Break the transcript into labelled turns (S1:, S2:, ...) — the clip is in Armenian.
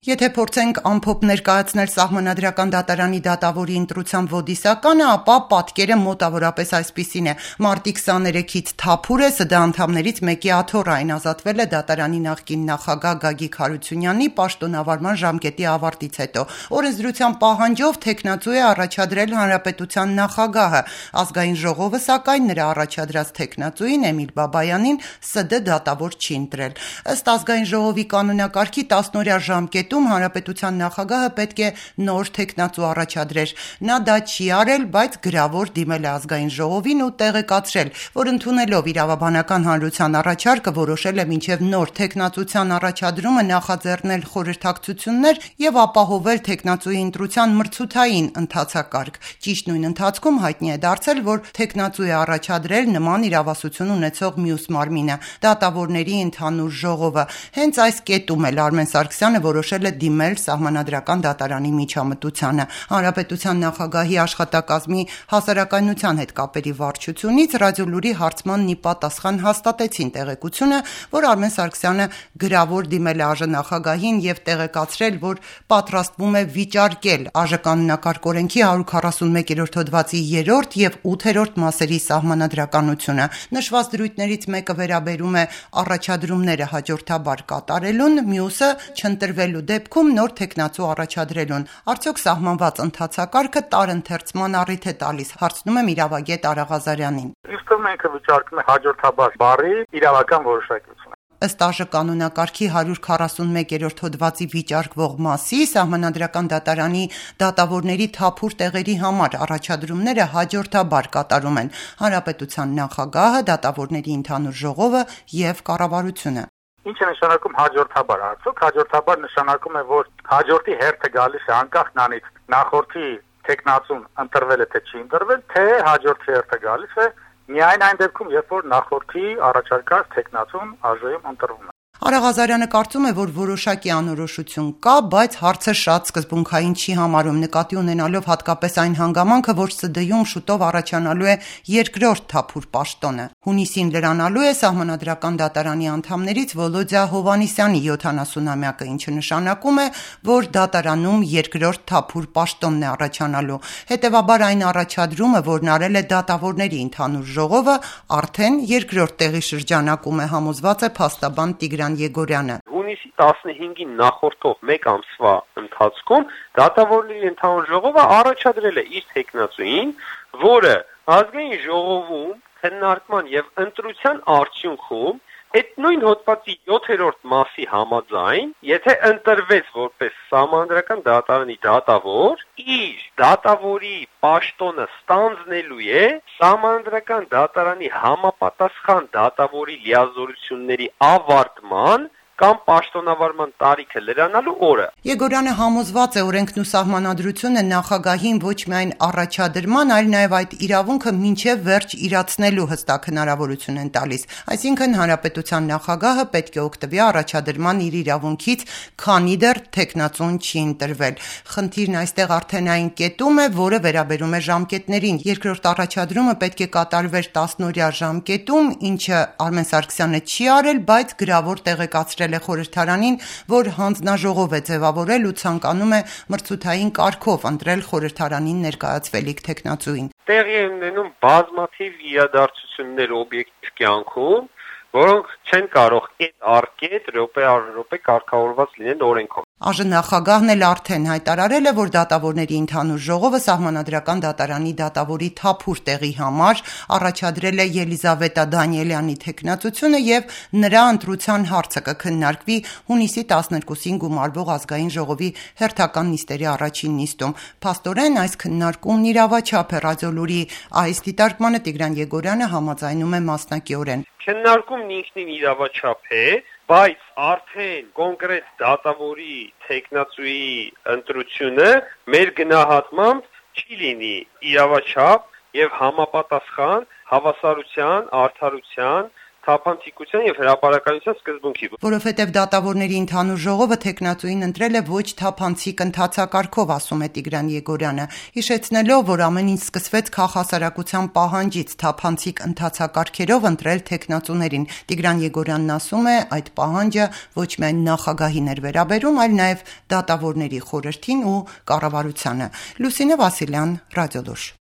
S1: Եթե փորձենք ամփոփ ներկայացնել Սահմանադրական դատարանի դատավորի ընտրության ոդիսականը, ապա պատկերը մոտավորապես այսպիսին է. մարտի 23-ից Թափուր է, ՍԴ անդամներից մեկի աթոռ այն ազատվել է դատարանի նախկին նախագահ Գագիկ Հարությունյանի պաշտոնավարման ժամկետի ավարտից հետո։ Օրենսդրության պահանջով թեկնածու է առաջադրել Հանրապետության նախագահը։ Ազգային ժողովը, սակայն, նրա առաջադրած թեկնածուին Էմիլ Բաբայանին ՍԴ դատավոր չի ընտրել։ Ըստ Ազգային ժողովի կանոնակարգի 10-օրյա ժամկետում Հանրապետության նախագահը պետք է նոր թեկնածու առաջադրեր։ Նա դա չի արել, բայց գրավոր դիմել է Ազգային ժողովին ու տեղեկացրել, որ ընդունելով իրավաբանական հանրության առաջարկը որոշել է մինչև նոր թեկնածության առաջադրումը նախաձեռնել խորհրդակցություններ եւ ապահովել թեկնածուի ընտրության մրցութային ընթացակարգ։ Ճիշտ նույն ընթացքում հայտնի է դարձել, որ թեկնածու է առաջադրել նման իրավասություն ունեցող մյուս մարմինը՝ դատավորների ընդհանուր ժողովը։ Հենց այս կետում էլ Արմեն Սարգսյանը որոշել է դիմել Սահմանադրական դատարանի միջամտությանը։ Հանրապետության նախագահի աշխատակազմի հասարակայնության հետ կապերի վարչությունից Ռադիոլուրի հարցմանն ի պատասխան հաստատեցին տեղեկությունը, որ Արմեն Սարգսյանը գրավոր դիմել է ԱԺ նախագահին եւ տեղեկացրել, որ պատրաստվում է վիճարկել ԱԺ կանոնակարգ օրենքի 141-րդ հոդվածի 3-րդ եւ 8-րդ մասերի սահմանադրականությունը։ Նշված դրույթներից մեկը վերաբերում է առաջադրումները հաջորդաբար կատարելուն, մյուսը չընտրվելու դեպքում նոր թեկնածու առաջադրելուն։ Արդյոք սահմանված ընթացակարգը տարընթերցման առիթ է տալիս, հարցնում եմ իրավագետ Արա Ղազարյանին։
S2: Իսկ մենք վիճարկում ենք հաջորդաբար բառի իրավական որոշակիությունը։
S1: Ըստ ԱԺ կանոնակարգի 141-րդ հոդվածի վիճարկվող մասի Սահմանադրական դատարանի դատավորների թափուր տեղերի համար առաջադրումները հաջորդաբար կատարում են Հանրապետության նախագահը, դատավորների ընդհանուր ժողովը եւ կառավարությունը։
S2: Ինչ է նշանակում հաջորդաբար, արդյոք հաջորդաբար նշանակում է, որ հաջորդի հերթը գալիս է անկախ նրանից նախորդի թեկնածուն ընտրվել է թե չի ընտրվել, թե հաջորդի հերթը գալիս է միայն այն դեպքում, երբ որ նախորդի առաջարկած թեկնածուն ԱԺ-ում ընտրվում է։
S1: Արա Ղազարյանը կարծում է, որ որոշակի անորոշություն կա, բայց հարցը շատ սկզբունքային չի համարում, նկատի ունենալով հատկապես այն հանգամանքը, որ ՍԴ-ում շուտով առաջանալու է երկրորդ թափուր պաշտոնը։ Հունիսին լրանալու է Սահմանադրական դատարանի անդամներից Վոլոդյա Հովհաննիսյանի 70-ամյակը, ինչը նշանակում է, որ դատարանում երկրորդ թափուր պաշտոնն է առաջանալու։ Հետևաբար այն առաջադրումը, որն արել է դատավորների ընդհանուր ժողովը, արդեն երկրորդ տեղի շրջանակում է, համոզված է փաստաբան Տիգրան Եգորյանը։
S3: Հունիսի 15-ին նախորդող մեկ ամսվա ընթացքում դատավորների ընդհանուր ժողովը առաջադրել է իր թեկնածուին, որը ազգային ժողովում քննարկման եւ ընտրության արդյունքում այդ նույն հոդվածի 7-րդ մասի համաձայն, եթե ընտրվեց որպես Սահմանադրական դատարանի դատավոր, իր դատավորի պաշտոնը ստանձնելու է Սահմանադրական դատարանի համապատասխան դատավորի լիազորությունների ավարտման կամ պաշտոնավարման տարիքը լրանալու օրը։
S1: Եգորյանը համոզված է օրենքն ու սահմանադրությունը նախագահին ոչ միայն առաջադրման, այլ նաև այդ իրավունքը մինչև վերջ իրացնելու հստակ հնարավորություն են տալիս։ Այսինքն Հանրապետության նախագահը պետք է օգտվի առաջադրման իր իրավունքից, քանի դեռ թեկնածուն չի ընտրվել։ Խնդիրն այստեղ արդեն այն կետում է, որը վերաբերում է ժամկետներին։ Երկրորդ առաջադրումը պետք է կատարվեր 10-օրյա ժամկետում, ինչը Արմեն Սարգսյանը չի արել, բայց գրավոր տեղեկացրել է խորհրդարանին, որ հանձնաժողով է ձևավորել ու ցանկանում է մրցութային կարգով ընտրել խորհրդարանին ներկայացվելիք թեկնածուին։
S3: Տեղի են ունենում բազմաթիվ իրադարձություններ օբյեկտիվ կյանքում, որոնք չեն կարող կետ առ կետ, րոպե առ րոպե կարգավորված լինեն օրենքով։
S1: ԱԺ նախագահն էլ արդեն հայտարարել է, որ դատավորների ընդհանուր ժողովը Սահմանադրական դատարանի դատավորի թափուր տեղի համար առաջադրել է Ելիզավետա Դանիելյանի թեկնածությունը եւ նրա ընտրության հարցը կքննարկվի հունիսի 12-ին գումարվող Ազգային ժողովի հերթական նիստերի առաջին նիստում։ Փաստորեն այս քննարկումն իրավաչափ է։ Ռադիոլուրի այս դիտարկմանը Տիգրան Եգորյանը համաձայնում է մասնակիորեն։
S3: Քննարկումն ինքնին իրավաչափ է, բայց արդեն կոնկրետ դատավորի թեկնածուի ընտրությունը մեր գնահատմամբ չի լինի իրավաչափ եւ համապատասխան հավասարության, արդարության, թափանցիկության եւ հրապարակայնության սկզբունքի։
S1: Որովհետեւ դատավորների ընդհանուր ժողովը տեխնացուին ընտրել է ոչ թափանցիկ ընթացակարգով, ասում է Տիգրան Եգորյանը, հիշեցնելով, որ ամեն ինչ սկսվեց քաղաքասարակության պահանջից թափանցիկ ընթացակարգերով ընտրել տեխնացուներին։ Տիգրան Եգորյանն ասում է, այդ պահանջը ոչ միայն նախագահին էր վերաբերում, այլ նաեւ դատավորների խորհրդին ու կառավարությանը։ Լուսինե Վասիլյան, Ռադիոլուր։